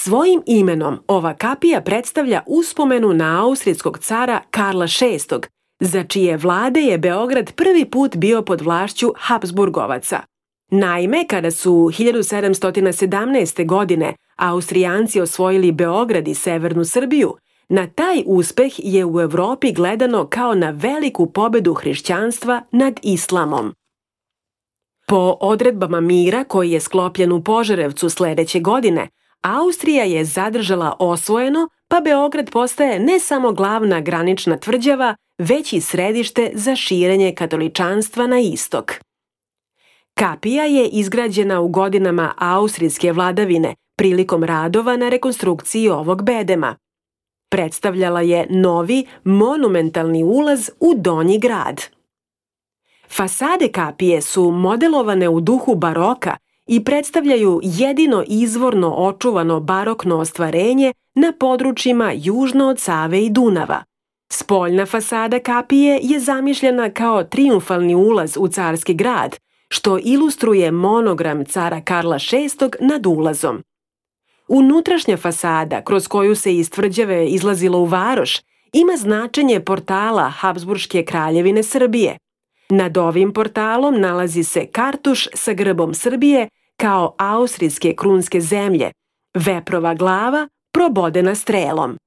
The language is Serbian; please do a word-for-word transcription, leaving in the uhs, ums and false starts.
Svojim imenom ova kapija predstavlja uspomenu na austrijskog cara Karla šestog, za čije vlade je Beograd prvi put bio pod vlašću Habsburgovaca. Naime, kada su hiljadu sedamsto sedamnaeste. godine Austrijanci osvojili Beograd i severnu Srbiju, na taj uspeh je u Evropi gledano kao na veliku pobedu hrišćanstva nad islamom. Po odredbama mira koji je sklopljen u Požarevcu sledeće godine, Austrija je zadržala osvojeno, pa Beograd postaje ne samo glavna granična tvrđava, već i središte za širenje katoličanstva na istok. Kapija je izgrađena u godinama austrijske vladavine prilikom radova na rekonstrukciji ovog bedema. Predstavljala je novi, monumentalni ulaz u Donji grad. Fasade kapije su modelovane u duhu baroka i predstavljaju jedino izvorno očuvano barokno ostvarenje na područjima južno od Save i Dunava. Spoljna fasada kapije je zamišljena kao trijumfalni ulaz u carski grad, što ilustruje monogram cara Karla šestog nad ulazom. Unutrašnja fasada, kroz koju se iz tvrđave izlazilo u varoš, ima značenje portala Habsburške kraljevine Srbije. Nad ovim portalom nalazi se kartuš sa grbom Srbije kao austrijske krunske zemlje, veprova glava probodena strelom.